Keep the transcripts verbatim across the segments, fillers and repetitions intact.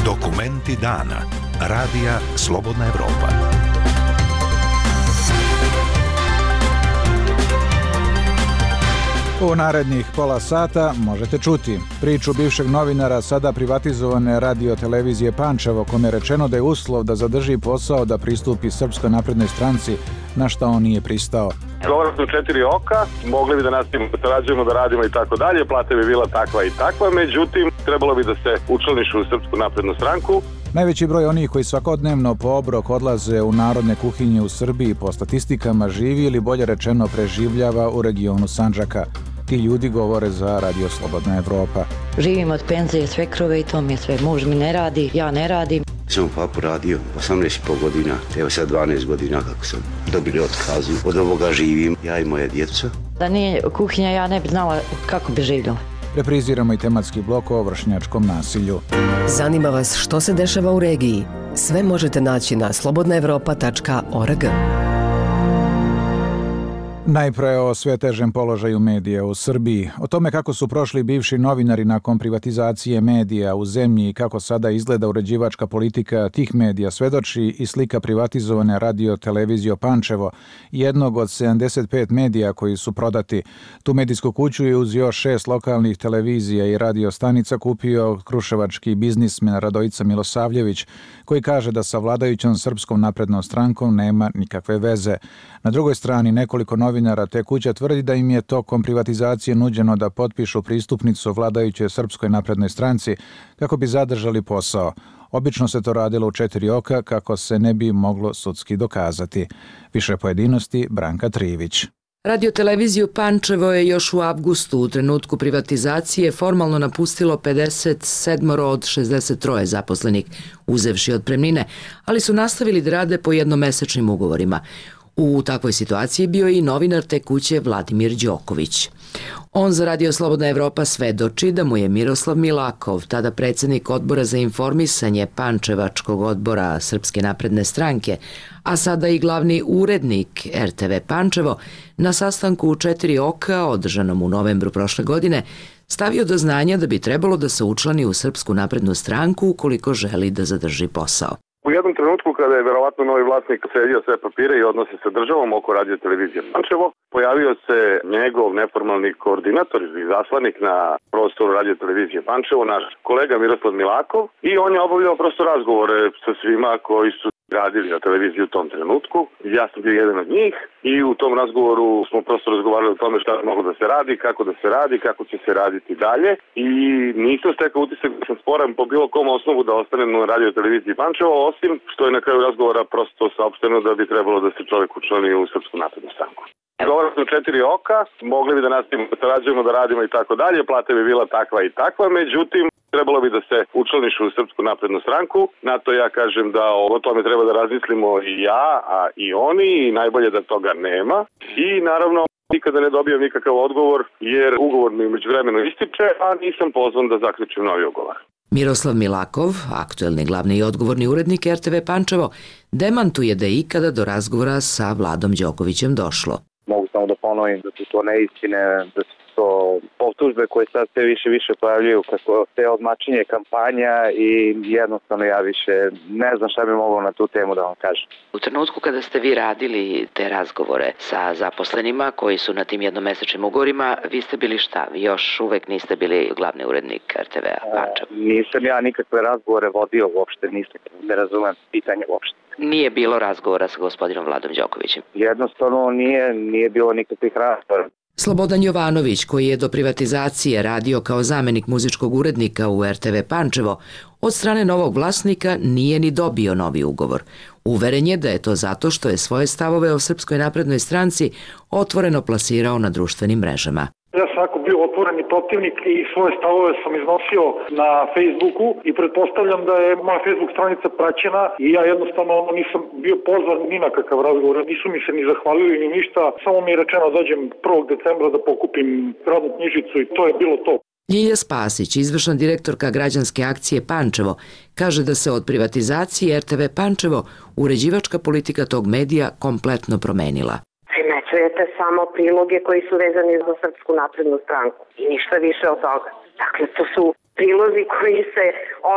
Dokumenti dana. Radija Slobodna Evropa. U narednih pola sata možete čuti priču bivšeg novinara sada privatizovane radio televizije Pančevo, kome je rečeno da je uslov da zadrži posao da pristupi Srpskoj naprednoj stranci, na šta on nije pristao. Govore su četiri oka, mogli bi da nastavimo da sarađujemo, da radimo i tako dalje, plata bi bila takva i takva, međutim, trebalo bi da se učlaniš u Srpsku naprednu stranku. Najveći broj onih koji svakodnevno po obrok odlaze u narodne kuhinje u Srbiji po statistikama živi ili bolje rečeno preživljava u regionu Sandžaka. Ti ljudi govore za Radio Slobodna Evropa. Živim od penzije svekrove i to mi je sve. Muž mi ne radi, ja ne radim. Sam u papu radio osamnaest i pol godina, evo sad dvanaest godina kako sam dobili otkazu. Od ovoga živim, ja i moja djeca. Da nije kuhinja, ja ne bi znala kako bi živjela. Repriziramo i tematski blok o vršnjačkom nasilju. Zanima vas što se dešava u regiji? Sve možete naći na slobodna evropa tačka org. Najpre o sve težem položaju medija u Srbiji. O tome kako su prošli bivši novinari nakon privatizacije medija u zemlji i kako sada izgleda uređivačka politika tih medija svedoči i slika privatizovane radio televizije Pančevo, jednog od sedamdeset pet medija koji su prodati. Tu medijsku kuću je uz još šest lokalnih televizija i radio stanica kupio kruševački biznismen Radojica Milosavljević, koji kaže da sa vladajućom Srpskom naprednom strankom nema nikakve veze. Na drugoj strani nekoliko novinara te kuće tvrdi da im je tokom privatizacije nuđeno da potpišu pristupnicu vladajućoj Srpskoj naprednoj stranci kako bi zadržali posao. Obično se to radilo u četiri oka kako se ne bi moglo sudski dokazati. Više pojedinosti Branka Trivić. Radio-televiziju Pančevo je još u avgustu u trenutku privatizacije formalno napustilo pedeset sedam od šezdeset tri zaposlenih, uzevši otpremnine, ali su nastavili da rade po jednomesečnim ugovorima. U takvoj situaciji bio je i novinar te kuće Vladimir Đoković. On za Radio Slobodna Evropa svedoči da mu je Miroslav Milakov, tada predsjednik odbora za informisanje Pančevačkog odbora Srpske napredne stranke, a sada i glavni urednik er te ve Pančevo, na sastanku u četiri oka, održanom u novembru prošle godine, stavio do znanja da bi trebalo da se učlani u Srpsku naprednu stranku ukoliko želi da zadrži posao. U jednom trenutku kada je verovatno novi vlasnik sredio sve papire i odnose sa državom oko radio televizije Pančevo, pojavio se njegov neformalni koordinator i zaslanik na prostoru radio televizije Pančevo, naš kolega Miroslav Milakov, i on je obavljao prosto razgovore sa svima koji su radili na televiziji u tom trenutku. Ja sam bio jedan od njih i u tom razgovoru smo prosto razgovarali o tome šta moglo da se radi, kako da se radi, kako će se raditi dalje, i nisam stekao utisak da sam sporan po bilo kom osnovu da ostanem na radio televiziji Pančevo, osim što je na kraju razgovora prosto saopšteno da bi trebalo da se čovjek učlani u Srpsku naprednu stranku. Govore su četiri oka, mogli bi da nastavimo da sarađujemo, da radimo i tako dalje, plata bi bila takva i takva, međutim, trebalo bi da se učlaniš u Srpsku naprednu stranku. Na to ja kažem da o tome treba da razmislimo i ja, a i oni, i najbolje da toga nema. I naravno, nikada ne dobijam nikakav odgovor, jer ugovor mi međuvremeno ističe, a nisam pozvan da zaključim novi ugovor. Miroslav Milakov, aktuelni glavni i odgovorni urednik er te ve Pančevo, demantuje da je ikada do razgovora sa Vladom Đokovićem došlo. Mogu samo da ponovim da su to neistine, da su to optužbe koje sad sve više više pojavljaju kako te odmačenje kampanja, i jednostavno ja više ne znam šta bi moglo na tu temu da vam kažem. U trenutku kada ste vi radili te razgovore sa zaposlenima koji su na tim jednomesečnim ugovorima, vi ste bili šta? Vi još uvek niste bili glavni urednik er te ve Pančevo? Nisam ja nikakve razgovore vodio uopšte, nisam, ne razumem pitanje uopšte. Nije bilo razgovora sa gospodinom Vladom Đokovićem? Jednostavno nije, nije bilo nikakvih razgovora. Slobodan Jovanović, koji je do privatizacije radio kao zamenik muzičkog urednika u er te ve Pančevo, od strane novog vlasnika nije ni dobio novi ugovor. Uveren je da je to zato što je svoje stavove o Srpskoj naprednoj stranci otvoreno plasirao na društvenim mrežama. Ja sam jako bio otvoreni protivnik i svoje stavove sam iznosio na Facebooku i pretpostavljam da je moja Facebook stranica praćena i ja jednostavno nisam bio pozvan ni na kakav razgovor, nisu mi se ni zahvalili ni ništa, samo mi je rečeno da dođem prvog decembra da pokupim radnu knjižicu i to je bilo to. Ljilja Spasić, izvršna direktorka građanske akcije Pančevo, kaže da se od privatizacije er te ve Pančevo uređivačka politika tog medija kompletno promenila. Primećujete samo priloge koji su vezani za Srpsku naprednu stranku i ništa više od toga. Dakle, Dakle, to su prilozi koji se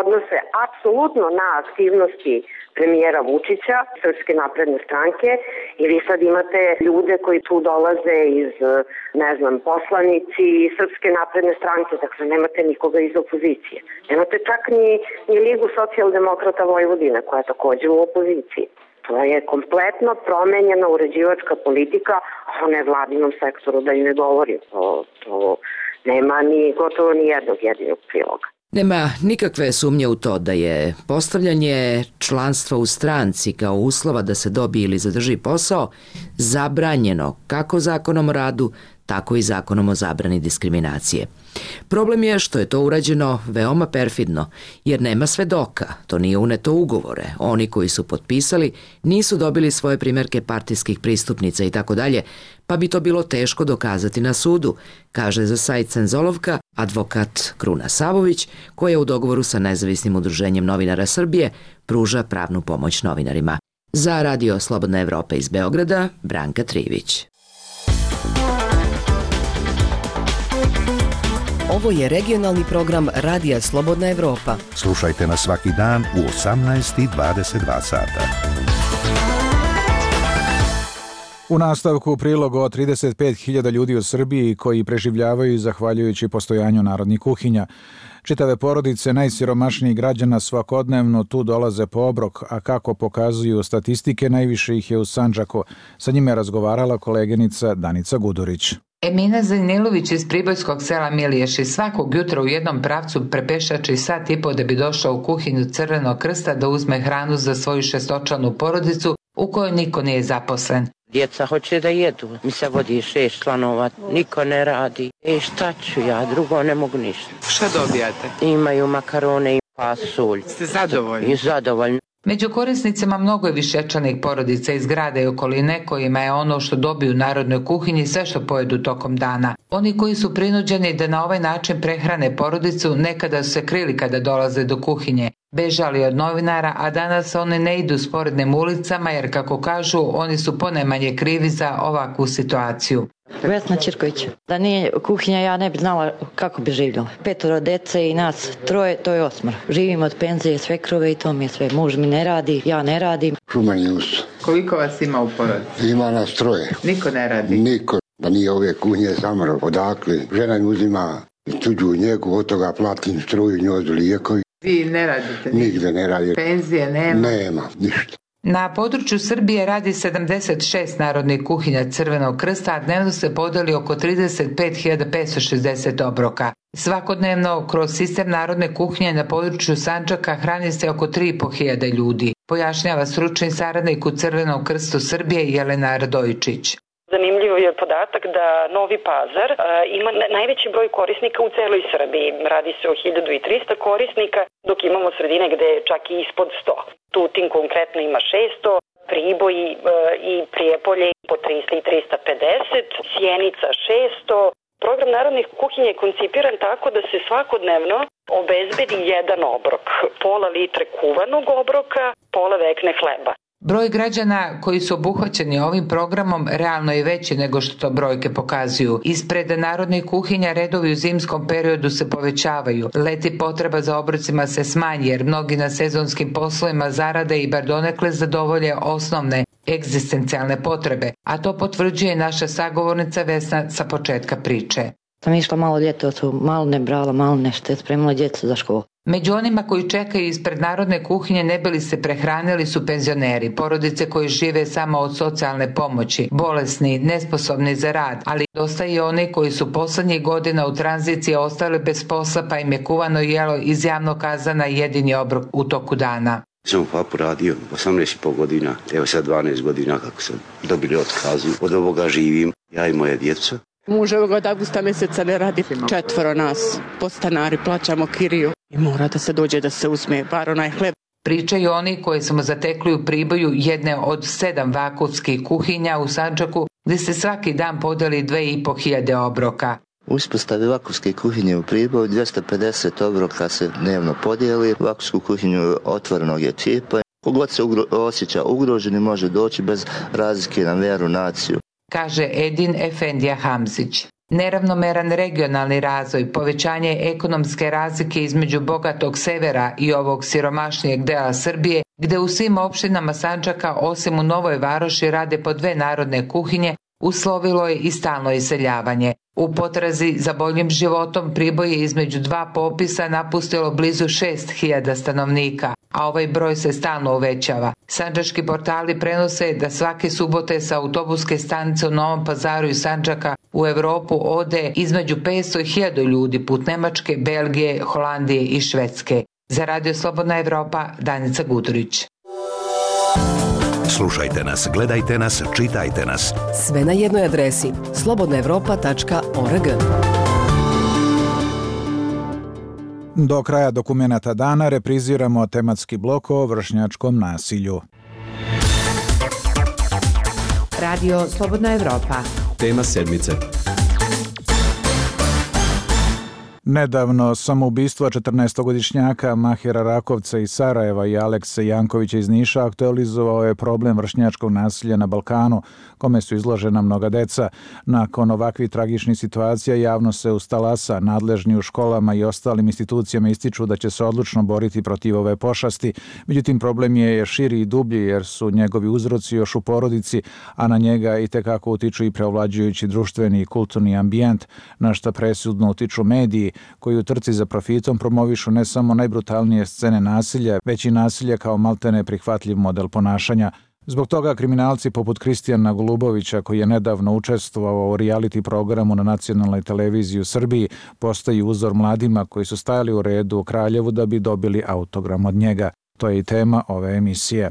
odnose apsolutno na aktivnosti premijera Vučića, Srpske napredne stranke, i vi sad imate ljude koji tu dolaze iz, ne znam, poslanici Srpske napredne stranke, dakle nemate nikoga iz opozicije. Nemate čak ni, ni Ligu socijaldemokrata Vojvodine, koja je također u opoziciji. To je kompletno promenjena uređivačka politika, a o nevladinom sektoru da i ne govorim. To, to nema ni gotovo ni jednog jedinog priloga. Nema nikakve sumnje u to da je postavljanje članstva u stranci kao uslova da se dobije ili zadrži posao zabranjeno kako zakonom o radu, tako i zakonom o zabrani diskriminacije. Problem je što je to urađeno veoma perfidno, jer nema svedoka, to nije uneto u ugovore. Oni koji su potpisali nisu dobili svoje primjerke partijskih pristupnica i tako dalje, pa bi to bilo teško dokazati na sudu, kaže za sajt Cenzolovka advokat Kruna Savović, koja u dogovoru sa Nezavisnim udruženjem novinara Srbije pruža pravnu pomoć novinarima. Za Radio Slobodna Evropa iz Beograda, Branka Trivić. Ovo je regionalni program Radija Slobodna Evropa. Slušajte nas svaki dan u osamnaest i dvadeset dva sata. U nastavku prilog o trideset pet hiljada ljudi u Srbiji koji preživljavaju zahvaljujući postojanju narodnih kuhinja. Čitave porodice najsiromašnijih građana svakodnevno tu dolaze po obrok, a kako pokazuju statistike, najviše ih je u Sandžaku. Sa njima je razgovarala koleginica Danica Gudurić. Emina Zanilović iz pribojskog sela Miliješi svakog jutra u jednom pravcu prepešači sat i po da bi došao u kuhinju Crvenog krsta da uzme hranu za svoju šestočlanu porodicu u kojoj niko nije zaposlen. Djeca hoće da jedu, mi se vodi šest članova, niko ne radi. E šta ću ja, drugo ne mogu ništa. Šta dobijate? Imaju makarone i pasulj. Ste zadovoljni? I zadovoljni. Među korisnicima mnogo je višečlanih porodica iz grada i okoline kojima je ono što dobiju u narodnoj kuhinji sve što pojedu tokom dana. Oni koji su prinuđeni da na ovaj način prehrane porodicu nekada su se krili kada dolaze do kuhinje. Bežali od novinara, a danas oni ne idu sporednim ulicama jer, kako kažu, oni su ponajmanje krivi za ovakvu situaciju. Vesna Čirković. Da nije kuhinja, ja ne bi znala kako bi živjela. Petoro dece i nas troje, to je osmar. Živim od penzije, svekrove i to mi je sve. Muž mi ne radi, ja ne radim. Šumanjus. Koliko vas ima u porodici? Ima nas troje. Niko ne radi? Niko. Da nije ove kuhinje samar odakle. Žena mi uzima tuđu njegu, od toga platim struju, njozu, lijekovi. Vi ne radite? Nigde ne radi. Penzije nema? Nema, ništa. Na području Srbije radi sedamdeset šest narodnih kuhinja Crvenog krsta, a dnevno se podeli oko trideset pet hiljada petsto šezdeset obroka. Svakodnevno kroz sistem narodne kuhinje na području Sandžaka hrani se oko tri i po hiljade ljudi, pojašnjava stručni saradnik u Crvenom krstu Srbije Jelena Radojičić. Zanimljiv je podatak da Novi Pazar a, ima najveći broj korisnika u celoj Srbiji. Radi se o hiljadu i trista korisnika, dok imamo sredine gde je čak i ispod sto. Tutin konkretno ima šesto, Priboj a, i Prijepolje po trista i trista pedeset, Sjenica šesto. Program narodnih kuhinja je koncipiran tako da se svakodnevno obezbedi jedan obrok, pola litre kuvanog obroka, pola vekne hleba. Broj građana koji su obuhvaćeni ovim programom realno je veći nego što to brojke pokazuju. Ispred narodnih kuhinja redovi u zimskom periodu se povećavaju. Leti potreba za obrocima se smanji jer mnogi na sezonskim poslovima zarade i bar donekle zadovolje osnovne egzistencijalne potrebe, a to potvrđuje naša sagovornica Vesna sa početka priče. Sam išla malo ljeto, malo ne brala, malo nešto, je spremila djecu za školu. Među onima koji čekaju ispred narodne kuhinje ne bili se prehranili su penzioneri, porodice koji žive samo od socijalne pomoći, bolesni, nesposobni za rad, ali dosta i oni koji su poslednjih godina u tranziciji ostali bez posla pa im je kuvano jelo iz javnog kazana jedini obrok u toku dana. Sam u Fapu radio osamnaest i po godina, evo sad dvanaest godina kako sam dobili otkazu, od ovoga živim, ja i moja djeca. Muž ovog od avgusta mjeseca ne radi, četvoro nas, podstanari, plaćamo kiriju i mora da se dođe da se uzme bar onaj hleb. Pričaju oni koji smo zatekli u Priboju jedne od sedam vakufskih kuhinja u Sandžaku gdje se svaki dan podeli dve i po hiljade obroka. U uspostavi vakufske kuhinje u Priboju dvjesto pedeset obroka se dnevno podijeli, vakufsku kuhinju otvorenog je tipa. Kogod se ugro, osjeća ugroženi može doći bez razlike na vjeru, naciju. Kaže Edin Efendija Hamzić. Neravnomeran regionalni razvoj, povećanje ekonomske razlike između bogatog severa i ovog siromašnijeg dela Srbije, gde u svim opštinama Sandžaka osim u Novoj Varoši rade po dve narodne kuhinje, uslovilo je i stalno iseljavanje. U potrazi za boljim životom Priboj je između dva popisa napustilo blizu šest hiljada stanovnika, a ovaj broj se stalno uvećava. Sandžački portali prenose da svake subote sa autobuske stanice u Novom Pazaru i Sandžaka u Evropu ode između petsto i hiljadu ljudi put Nemačke, Belgije, Holandije i Švedske. Za Radio Slobodna Evropa, Danica Gudurić. Slušajte nas, gledajte nas, čitajte nas. Sve na jednoj adresi slobodna evropa tačka org. Do kraja dokumenata dana repriziramo tematski blok o vršnjačkom nasilju. Radio Slobodna Evropa. Tema sedmice. Nedavno samoubistvo četrnaestogodišnjaka Mahira Rakovca iz Sarajeva i Alekse Jankovića iz Niša aktualizovao je problem vršnjačkog nasilja na Balkanu, kome su izložena mnoga deca. Nakon ovakvih tragičnih situacija javno se ustalasa, nadležni u školama i ostalim institucijama ističu da će se odlučno boriti protiv ove pošasti. Međutim, problem je širi i dublji jer su njegovi uzroci još u porodici, a na njega i tekako utiču i preovlađujući društveni i kulturni ambijent, na šta presudno utiču mediji, koji u trci za profitom promovišu ne samo najbrutalnije scene nasilja, već i nasilje kao maltene prihvatljiv model ponašanja. Zbog toga kriminalci poput Kristijana Golubovića, koji je nedavno učestvovao u reality programu na nacionalnoj televiziji u Srbiji, postaju uzor mladima koji su stajali u redu u Kraljevu da bi dobili autogram od njega. To je i tema ove emisije.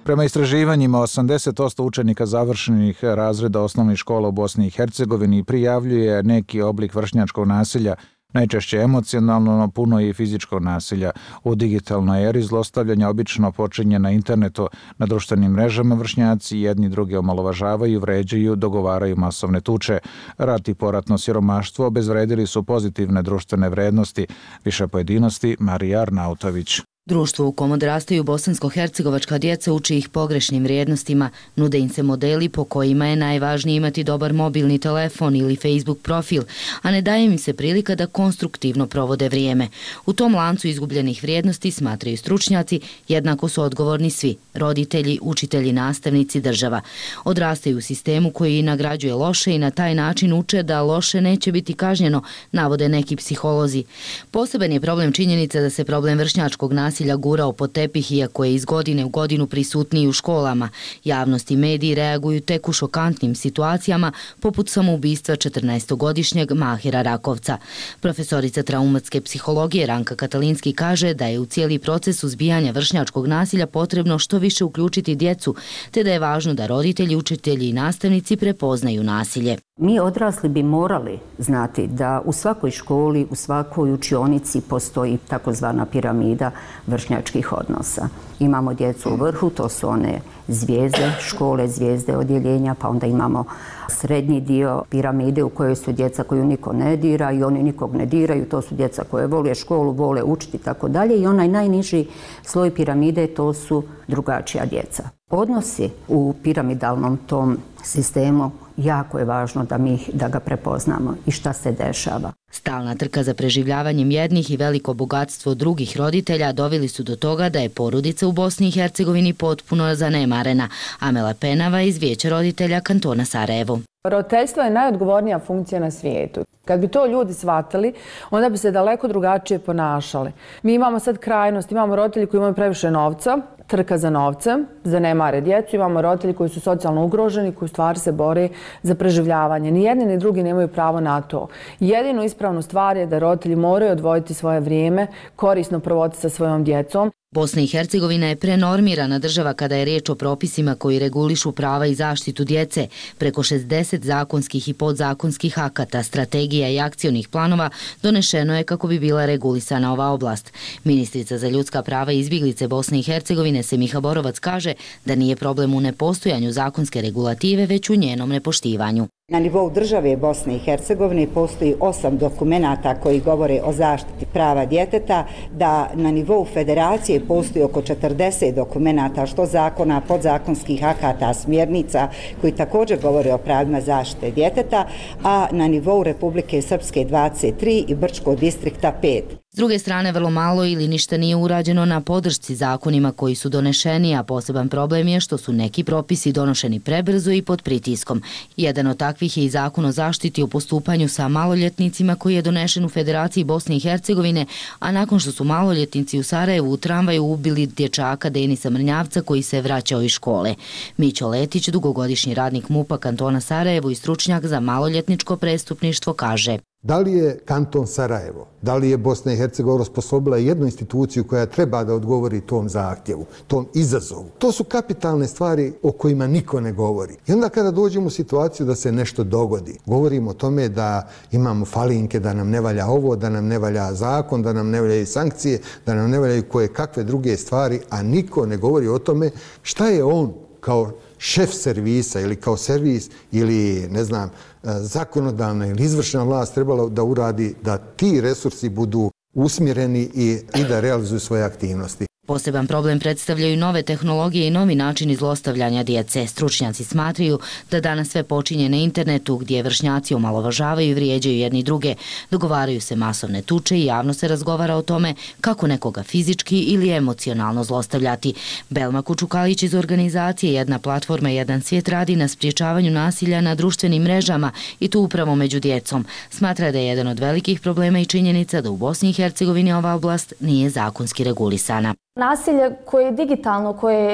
Prema istraživanjima, osamdeset posto učenika završenih razreda osnovnih škola u Bosni i Hercegovini prijavljuje neki oblik vršnjačkog nasilja, najčešće emocionalno, no puno i fizičkog nasilja. U digitalnoj eri zlostavljanja obično počinje na internetu, na društvenim mrežama vršnjaci jedni druge omalovažavaju, vređaju, dogovaraju masovne tuče. Rat i poratno siromaštvo obezvredili su pozitivne društvene vrednosti. Više pojedinosti, Marija Arnautović. Društvo u kom odrastaju bosansko-hercegovačka djeca uči ih pogrešnim vrijednostima, nude im se modeli po kojima je najvažnije imati dobar mobilni telefon ili Facebook profil, a ne daje im se prilika da konstruktivno provode vrijeme. U tom lancu izgubljenih vrijednosti, smatraju stručnjaci, jednako su odgovorni svi, roditelji, učitelji, nastavnici, država. Odrastaju u sistemu koji nagrađuje loše i na taj način uče da loše neće biti kažnjeno, navode neki psiholozi. Poseban je problem činjenica da se problem vršnjačkog nasilja nasilja gurao pod tepih, iako je iz godine u godinu prisutniji u školama. Javnost i mediji reaguju tek u šokantnim situacijama, poput samoubistva četrnaestogodišnjeg Mahira Rakovca. Profesorica traumatske psihologije Ranka Katalinski kaže da je u cijeli proces suzbijanja vršnjačkog nasilja potrebno što više uključiti djecu, te da je važno da roditelji, učitelji i nastavnici prepoznaju nasilje. Mi odrasli bi morali znati da u svakoj školi, u svakoj učionici postoji takozvana piramida vršnjačkih odnosa. Imamo djecu u vrhu, to su one zvijezde škole, zvijezde odjeljenja, pa onda imamo srednji dio piramide u kojoj su djeca koju niko ne dira i oni nikog ne diraju, to su djeca koje vole školu, vole učiti i tako dalje, i onaj najniži sloj piramide, to su drugačija djeca. Odnosi u piramidalnom tom sistemu jako je važno da mi da ga prepoznamo i šta se dešava. Stalna trka za preživljavanjem jednih i veliko bogatstvo drugih roditelja doveli su do toga da je porodica u Bosni i Hercegovini potpuno zanemarena. Amela Penava iz Vijeća roditelja kantona Sarajevo. Roditeljstvo je najodgovornija funkcija na svijetu. Kad bi to ljudi shvatili, onda bi se daleko drugačije ponašali. Mi imamo sad krajnost, imamo roditelji koji imaju previše novca, trka za novcem, zanemare djecu, imamo roditelji koji su socijalno ugroženi, koji u stvari se bore za preživljavanje. Ni jedni ni drugi nemaju pravo na to. Jedinu ispravnu stvar je da roditelji moraju odvojiti svoje vrijeme, korisno provoditi sa svojom djecom. Bosna i Hercegovina je prenormirana država kada je riječ o propisima koji regulišu prava i zaštitu djece. Preko šezdeset zakonskih i podzakonskih akata, strategija i akcionih planova donešeno je kako bi bila regulisana ova oblast. Ministrica za ljudska prava i izbjeglice Bosne i Hercegovine Semiha Borovac kaže da nije problem u nepostojanju zakonske regulative, već u njenom nepoštivanju. Na nivou države Bosne i Hercegovine postoji osam dokumenata koji govore o zaštiti prava djeteta, da na nivou federacije postoji oko četrdeset dokumenata, što zakona, podzakonskih akata, smjernica koji također govore o pravima zaštite djeteta, a na nivou Republike Srpske dvadeset tri i Brčkog distrikta pet. S druge strane, vrlo malo ili ništa nije urađeno na podršci zakonima koji su donešeni, a poseban problem je što su neki propisi donošeni prebrzo i pod pritiskom. Jedan od takvih je i zakon o zaštiti o postupanju sa maloljetnicima koji je donešen u Federaciji Bosne i Hercegovine, a nakon što su maloljetnici u Sarajevu u tramvaju ubili dječaka Denisa Mrnjavca koji se vraćao iz škole. Mićo Letić, dugogodišnji radnik MUP-a kantona Sarajevo i stručnjak za maloljetničko prestupništvo, kaže: Da li je kanton Sarajevo, da li je Bosna i Hercegovina osposobila jednu instituciju koja treba da odgovori tom zahtjevu, tom izazovu? To su kapitalne stvari o kojima niko ne govori. I onda kada dođemo u situaciju da se nešto dogodi, govorimo o tome da imamo falinke, da nam ne valja ovo, da nam ne valja zakon, da nam ne valjaju sankcije, da nam ne valjaju koje kakve druge stvari, a niko ne govori o tome šta je on kao šef servisa ili kao servis ili, ne znam, zakonodavna ili izvršna vlast trebala da uradi da ti resursi budu usmjereni i, i da realizuju svoje aktivnosti. Poseban problem predstavljaju nove tehnologije i novi načini zlostavljanja djece. Stručnjaci smatraju da danas sve počinje na internetu gdje vršnjaci omalovažavaju i vrijeđaju jedni druge. Dogovaraju se masovne tuče i javno se razgovara o tome kako nekoga fizički ili emocionalno zlostavljati. Belma Kučukalić iz organizacije Jedna platforma Jedan svijet radi na spriječavanju nasilja na društvenim mrežama i to upravo među djecom. Smatra da je jedan od velikih problema i činjenica da u Bosni i Hercegovini ova oblast nije zakonski regulisana. Nasilje koje je digitalno, koje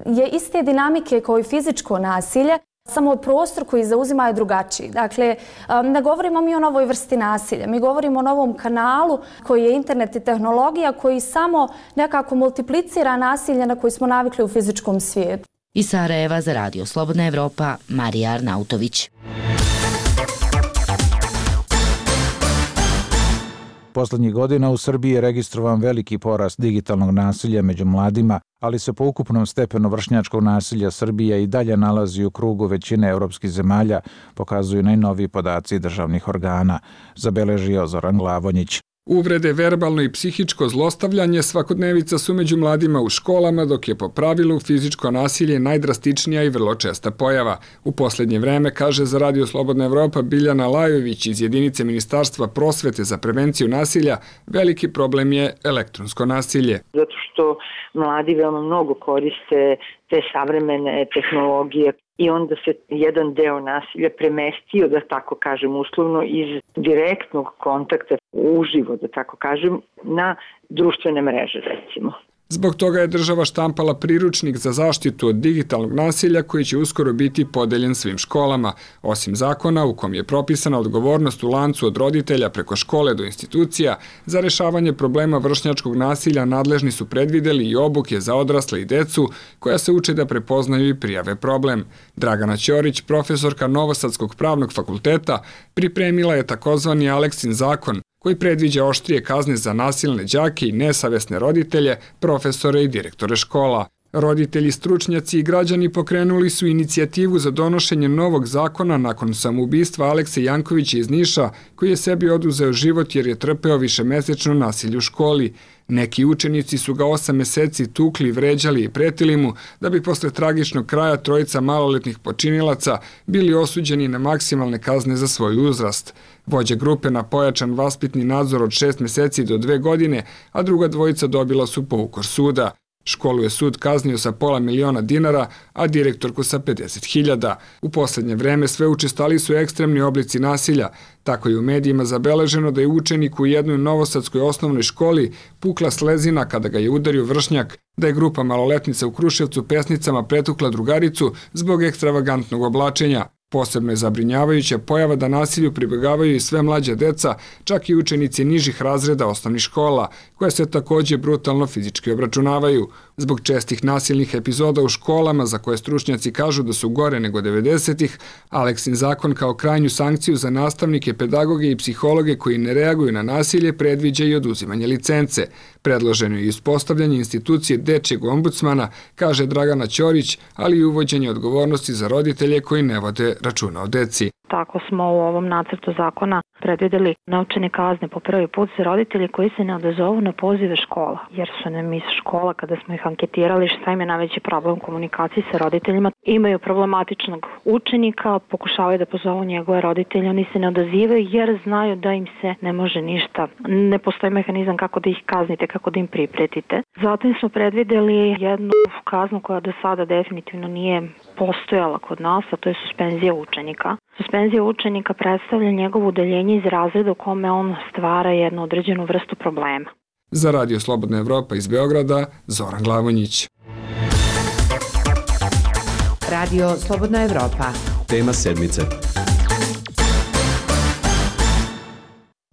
je iste dinamike kao i fizičko nasilje, samo prostor koji zauzima je drugačiji. Dakle, ne govorimo mi o novoj vrsti nasilja, mi govorimo o novom kanalu koji je internet i tehnologija koji samo nekako multiplicira nasilje na koje smo navikli u fizičkom svijetu. Iz Sarajeva za Radio Slobodna Evropa, Marija Arnautović. Poslednjih godina u Srbiji je registrovan veliki porast digitalnog nasilja među mladima, ali se po ukupnom stepenu vršnjačkog nasilja Srbija i dalje nalazi u krugu većine evropskih zemalja, pokazuju najnoviji podaci državnih organa, zabeležio Zoran Glavonjić. Uvrede, verbalno i psihičko zlostavljanje svakodnevica su među mladima u školama, dok je po pravilu fizičko nasilje najdrastičnija i vrlo česta pojava. U posljednje vreme, kaže za Radio Slobodna Evropa Biljana Lajović iz jedinice Ministarstva prosvete za prevenciju nasilja, veliki problem je elektronsko nasilje. Zato što mladi veoma mnogo koriste te savremene tehnologije i onda se jedan deo nasilja premestio, da tako kažem uslovno, iz direktnog kontakta uživo, da tako kažem, na društvene mreže, recimo. Zbog toga je država štampala priručnik za zaštitu od digitalnog nasilja koji će uskoro biti podeljen svim školama. Osim zakona u kom je propisana odgovornost u lancu od roditelja preko škole do institucija, za rešavanje problema vršnjačkog nasilja nadležni su predvideli i obuke za odrasle i decu koja se uče da prepoznaju i prijave problem. Dragana Ćorić, profesorka Novosadskog pravnog fakulteta, pripremila je takozvani Aleksin zakon, koji predviđa oštrije kazne za nasilne đake i nesavesne roditelje, profesore i direktore škola. Roditelji, stručnjaci i građani pokrenuli su inicijativu za donošenje novog zakona nakon samoubistva Alekse Jankovića iz Niša, koji je sebi oduzeo život jer je trpeo višemesečno nasilje u školi. Neki učenici su ga osam meseci tukli, vređali i pretili mu, da bi posle tragičnog kraja trojica maloletnih počinilaca bili osuđeni na maksimalne kazne za svoj uzrast. Vođa grupe na pojačan vaspitni nadzor od šest meseci do dve godine, a druga dvojica dobila su poukor suda. Školu je sud kaznio sa pola miliona dinara, a direktorku sa pedeset hiljada. U posljednje vreme sve učestali su ekstremni oblici nasilja. Tako je u medijima zabeleženo da je učenik u jednoj novosadskoj osnovnoj školi pukla slezina kada ga je udario vršnjak, da je grupa maloletnica u Kruševcu pesnicama pretukla drugaricu zbog ekstravagantnog oblačenja. Posebno je zabrinjavajuća pojava da nasilju pribegavaju i sve mlađa deca, čak i učenici nižih razreda osnovnih škola, koje se također brutalno fizički obračunavaju. Zbog čestih nasilnih epizoda u školama, za koje stručnjaci kažu da su gore nego devedesetih, Aleksin zakon kao krajnju sankciju za nastavnike, pedagoge i psihologe koji ne reaguju na nasilje predviđa i oduzimanje licence. Predloženo je i uspostavljanje institucije dečjeg ombudsmana, kaže Dragana Ćorić, ali i uvođenje odgovornosti za roditelje koji ne vode računa o deci. tako smo u ovom nacrtu zakona predvidjeli novčane kazne po prvi put za roditelji koji se ne odazovu na pozive škola, jer su nam iz škola, kada smo ih anketirali šta im je najveći problem u komunikaciji sa roditeljima, imaju problematičnog učenika, pokušavaju da pozovu njegove roditelje, oni se ne odazivaju jer znaju da im se ne može ništa. Ne postoji mehanizam kako da ih kaznite, kako da im pripretite. Zatim smo predvidjeli jednu kaznu koja do sada definitivno nije postojala kod nas, a to je suspenzija učenika. Suspenzija učenika predstavlja njegovo udaljenje iz razreda u kome on stvara jednu određenu vrstu problema. Za Radio Slobodna Evropa iz Beograda, Zoran Glavonjić. Radio Slobodna Evropa. Tema sedmice.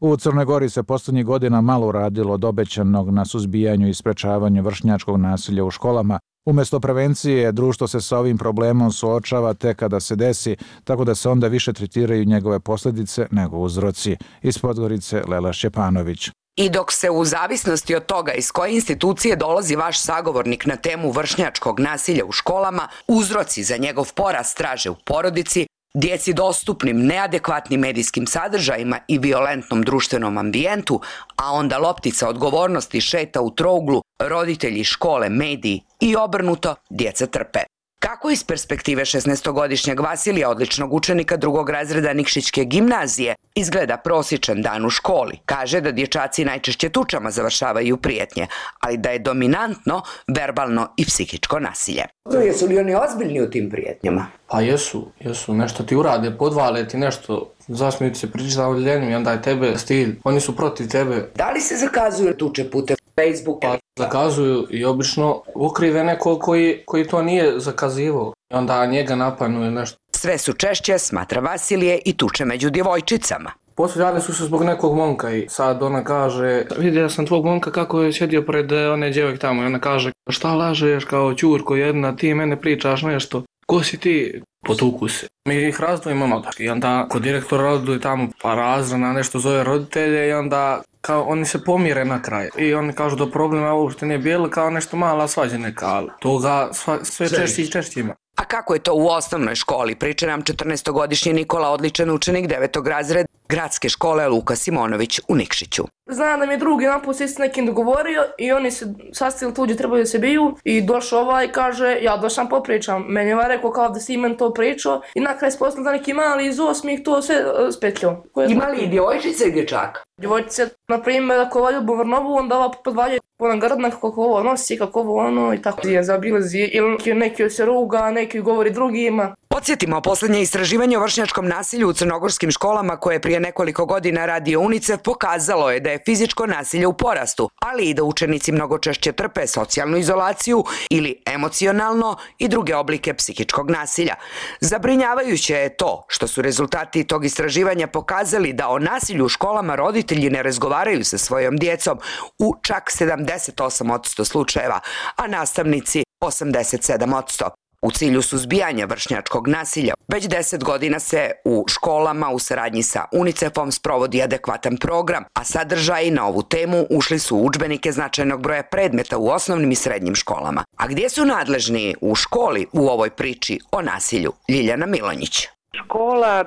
U Crnoj Gori se posljednjih godina malo uradilo od obećanog na suzbijanju i sprečavanju vršnjačkog nasilja u školama. Umjesto prevencije, društvo se sa ovim problemom suočava tek kada se desi, tako da se onda više tretiraju njegove posljedice nego uzroci. Iz Podgorice, Lela Šćepanović. I dok se u zavisnosti od toga iz koje institucije dolazi vaš sagovornik na temu vršnjačkog nasilja u školama, uzroci za njegov porast traže u porodici, djeci dostupnim neadekvatnim medijskim sadržajima i violentnom društvenom ambijentu, a onda loptica odgovornosti šeta u trouglu, roditelji, škole, mediji i obrnuto, djeca trpe. Kako iz perspektive šesnaestogodišnjeg Vasilija, odličnog učenika drugog razreda Nikšićke gimnazije, izgleda prosječan dan u školi? Kaže da dječaci najčešće tučama završavaju prijetnje, ali da je dominantno verbalno i psihičko nasilje. Jesu li oni ozbiljni u tim prijetnjama? Pa jesu, jesu, nešto ti urade, podvale ti nešto, zasmiju ti se priča za odljenjem i onda je tebe stil, oni su protiv tebe. Da li se zakazuju tuče putem Facebooka? Pa zakazuju i obično ukrive neko koji, koji to nije zakazivao i onda njega napadnu nešto. Sve su češće, smatra Vasilije, i tuče među djevojčicama. Posvađali su se zbog nekog momka i sad ona kaže, vidio sam tvog momka kako je sjedio pred one djevojke tamo i ona kaže, šta lažeš kao ćurko jedna, ti mene pričaš nešto, ko si ti? Potuku se. Mi ih razdvojimo ono i onda kod direktora roduje tamo pa razrana nešto zove roditelje i onda kao oni se pomire na kraj i oni kažu da problema uopšte nije bilo, kao nešto mala svađa neka, ali toga sva, sve češće i češće ima. A kako je to u osnovnoj školi, priča nam četrnaestogodišnji Nikola, odličan učenik devetog razreda gradske škole Luka Simonović u Nikšiću. Znam da mi je drugi naput se s nekim dogovorio i oni se sastavili tu gdje trebaju da se biju i došao ovaj i kaže ja došam popričam. Meni je ovaj rekao kao da si imen to pričao i na kraj spoznali da neki mali iz osmih to sve uh, spetljao. Ima li i djevojčice i dječaka? Djevojčice, na primjer, ako ovaj ljubav Vrnovu, onda ova podvalja ona grdna kako ovo nosi, kako ovo ono i tako. Je zabilazi ili neki se ruga, neki govori drugima. Podsjetimo, posljednje istraživanje o vršnjačkom nasilju u crnogorskim školama koje je prije nekoliko godina radio UNICEF pokazalo je da je fizičko nasilje u porastu, ali i da učenici mnogo češće trpe socijalnu izolaciju ili emocionalno i druge oblike psihičkog nasilja. Zabrinjavajuće je to što su rezultati tog istraživanja pokazali da o nasilju u školama roditelji ne razgovaraju sa svojom djecom u čak sedamdeset osam posto slučajeva, a nastavnici osamdeset sedam posto. U cilju suzbijanja vršnjačkog nasilja već deset godina se u školama u saradnji sa UNICEF-om sprovodi adekvatan program, a sadržaji na ovu temu ušli su u udžbenike značajnog broja predmeta u osnovnim i srednjim školama. A gdje su nadležni u školi u ovoj priči o nasilju? Ljiljana Milonjić. Škola,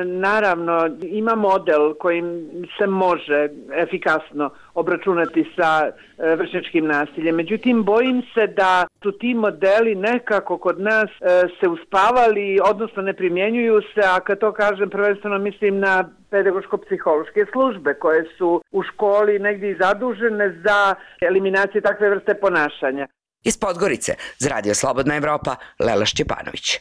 naravno, ima model kojim se može efikasno obračunati sa vršnjačkim nasiljem. Međutim, bojim se da su ti modeli nekako kod nas se uspavali, odnosno ne primjenjuju se, a kad to kažem prvenstveno mislim na pedagoško-psihološke službe koje su u školi negdje i zadužene za eliminaciju takve vrste ponašanja. Iz Podgorice, za Radio Slobodna Evropa, Lela Šćepanović.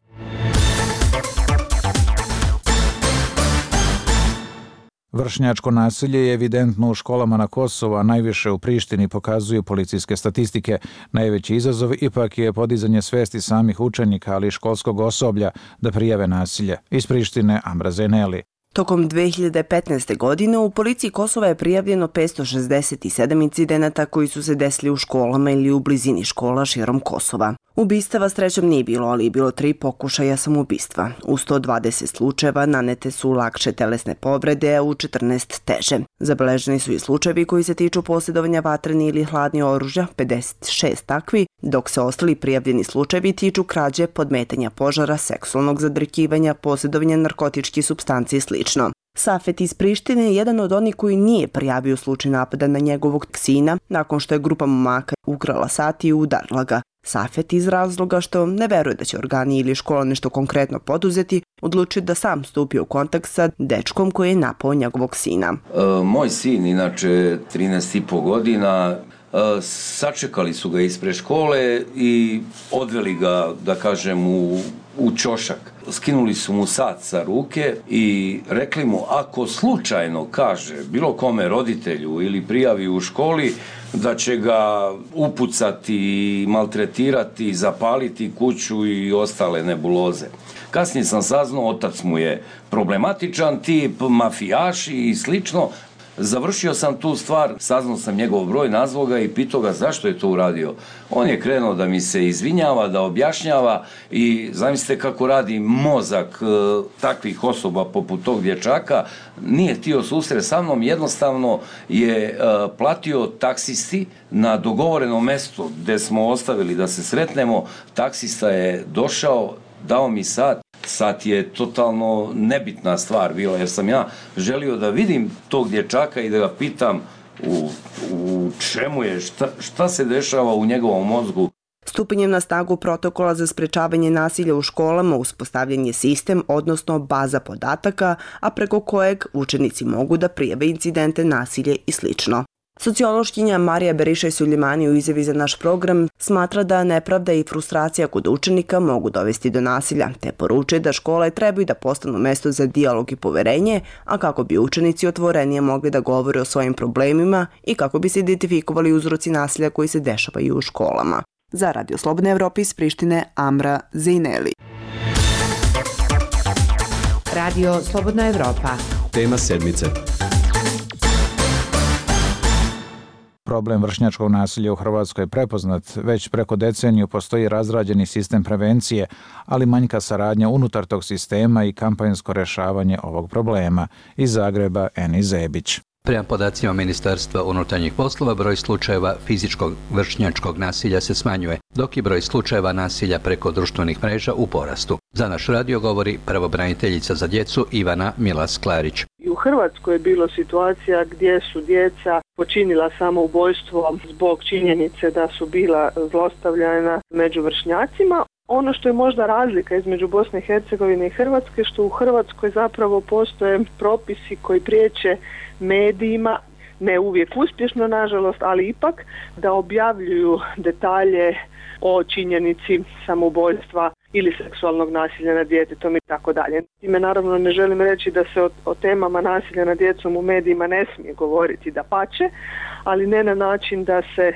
Vršnjačko nasilje je evidentno u školama na Kosovu, a najviše u Prištini, pokazuju policijske statistike. Najveći izazov ipak je podizanje svesti samih učenika, ali i školskog osoblja da prijave nasilje. Iz Prištine, Amra Zeneli. Tokom dve hiljade petnaeste. godine u policiji Kosova je prijavljeno petsto šezdeset sedam incidenata koji su se desili u školama ili u blizini škola širom Kosova. Ubistava srećom nije bilo, ali je bilo tri pokušaja samoubistva. U sto dvadeset slučajeva nanete su lakše telesne povrede, a u četrnaest teže. Zabeleženi su i slučajevi koji se tiču posjedovanja vatreni ili hladni oružja, pedeset šest takvi, dok se ostali prijavljeni slučajevi tiču krađe, podmetanja požara, seksualnog zadrkivanja, posjedovanja narkotičkih supstanci i slično. Safet iz Prištine je jedan od onih koji nije prijavio slučaj napada na njegovog sina nakon što je grupa momaka ukrala sat i udarila ga. Safet iz razloga što ne veruje da će organi ili škola nešto konkretno poduzeti, odlučio da sam stupi u kontakt sa dečkom koji je napao njegovog sina. E, moj sin, inače trinaest i po godina, e, sačekali su ga ispred škole i odveli ga, da kažem, u, u ćošak. Skinuli su mu sat sa ruke i rekli mu ako slučajno kaže bilo kome roditelju ili prijavi u školi da će ga upucati, maltretirati, zapaliti kuću i ostale nebuloze. Kasnije sam saznao, otac mu je problematičan tip, mafijaši i slično. Završio sam tu stvar, saznao sam njegov broj, nazvao ga i pitao ga zašto je to uradio. On je krenuo da mi se izvinjava, da objašnjava i zamislite kako radi mozak e, takvih osoba poput tog dječaka. Nije htio susret sa mnom, jednostavno je e, platio taksisti na dogovoreno mjesto gdje smo ostavili da se sretnemo. Taksista je došao, dao mi sat. Sat je totalno nebitna stvar bila, jer sam ja želio da vidim tog dječaka i da ga pitam u, u čemu je, šta, šta se dešava u njegovom mozgu. Stupanjem na snagu protokola za sprečavanje nasilja u školama uspostavljen je sistem, odnosno baza podataka, a preko kojeg učenici mogu da prijave incidente, nasilje i slično. Sociološkinja Marija Berišaj-Suljemani u izjavi za naš program smatra da nepravda i frustracija kod učenika mogu dovesti do nasilja, te poručuje da škole trebaju da postanu mesto za dijalog i poverenje, a kako bi učenici otvorenije mogli da govore o svojim problemima i kako bi se identifikovali uzroci nasilja koji se dešavaju u školama. Za Radio Slobodne Evrope iz Prištine, Amra Zejneli. Radio Slobodna Evropa. Tema sedmice. Problem vršnjačkog nasilja u Hrvatskoj je prepoznat. Već preko deceniju postoji razrađeni sistem prevencije, ali manjka saradnja unutar tog sistema i kampanjsko rješavanje ovog problema. Iz Zagreba, Eni Zebić. Prema podacima Ministarstva unutarnjih poslova, broj slučajeva fizičkog vršnjačkog nasilja se smanjuje, dok je broj slučajeva nasilja preko društvenih mreža u porastu. Za naš radio govori pravobraniteljica za djecu Ivana Milas-Klarić. I u Hrvatskoj je bilo situacija gdje su djeca počinila samoubojstvo zbog činjenice da su bila zlostavljana među vršnjacima. Ono što je možda razlika između Bosne i Hercegovine i Hrvatske, što u Hrvatskoj zapravo postoje propisi koji priječe medijima, ne uvijek uspješno nažalost, ali ipak da objavljuju detalje o činjenici samoubojstva ili seksualnog nasilja nad djetetom i tako dalje. Time naravno ne želim reći da se o, o temama nasilja nad djecom u medijima ne smije govoriti, dapače, ali ne na način da se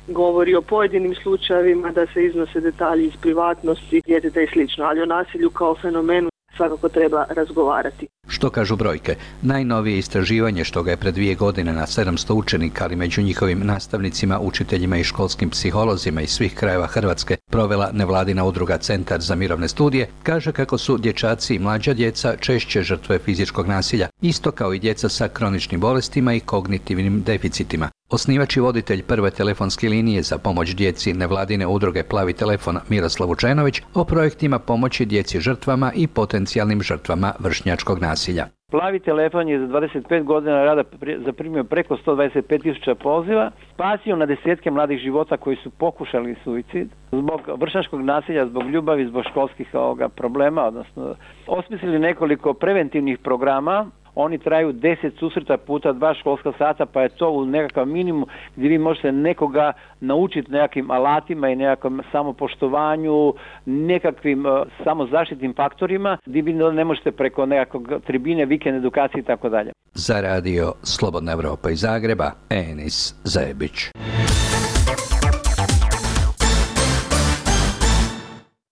govori o pojedinim slučajevima, da se iznose detalji iz privatnosti djeteta i slično, ali o nasilju kao fenomenu svakako treba razgovarati. Što kažu brojke? Najnovije istraživanje, što ga je pred dvije godine na sedamsto učenika, ali među njihovim nastavnicima, učiteljima i školskim psiholozima iz svih krajeva Hrvatske provela nevladina udruga Centar za mirovne studije, kaže kako su dječaci i mlađa djeca češće žrtve fizičkog nasilja, isto kao i djeca sa kroničnim bolestima i kognitivnim deficitima. Osnivač i voditelj prve telefonske linije za pomoć djeci nevladine udruge Plavi telefon Miroslav Vučenović o projektima pomoći djeci žrtvama i potencijalnim žrtvama vršnjačkog nasilja. Plavi telefon je za dvadeset pet godina rada zaprimio preko sto dvadeset pet tisuća poziva, spasio na desetke mladih života koji su pokušali suicid zbog vršnjačkog nasilja, zbog ljubavi, zbog školskih ovoga problema, odnosno osmislili nekoliko preventivnih programa. Oni traju deset susreta puta dva školska sata, pa je to u nekakav minimum gdje vi možete nekoga naučiti nekakvim alatima i nekakvom samopoštovanju, nekakvim uh, samozaštitnim faktorima, gdje vi ne možete preko nekakvog tribine, vikend edukacije i tako dalje. Za radio Slobodna Evropa iz Zagreba, Enis Zebić.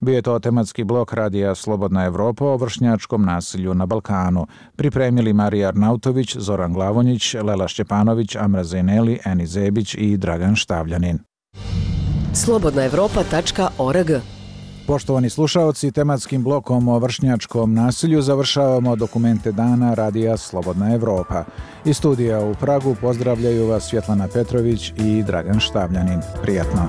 Bio je to tematski blok radija Slobodna Evropa o vršnjačkom nasilju na Balkanu. Pripremili Marija Arnautović, Zoran Glavonjić, Lela Šćepanović, Amra Zejneli, Eni Zebić i Dragan Štavljanin. slobodna evropa tačka org. Poštovani slušaoci, tematskim blokom o vršnjačkom nasilju završavamo dokumente dana radija Slobodna Evropa. Iz studija u Pragu pozdravljaju vas Svjetlana Petrović i Dragan Štavljanin. Prijatno.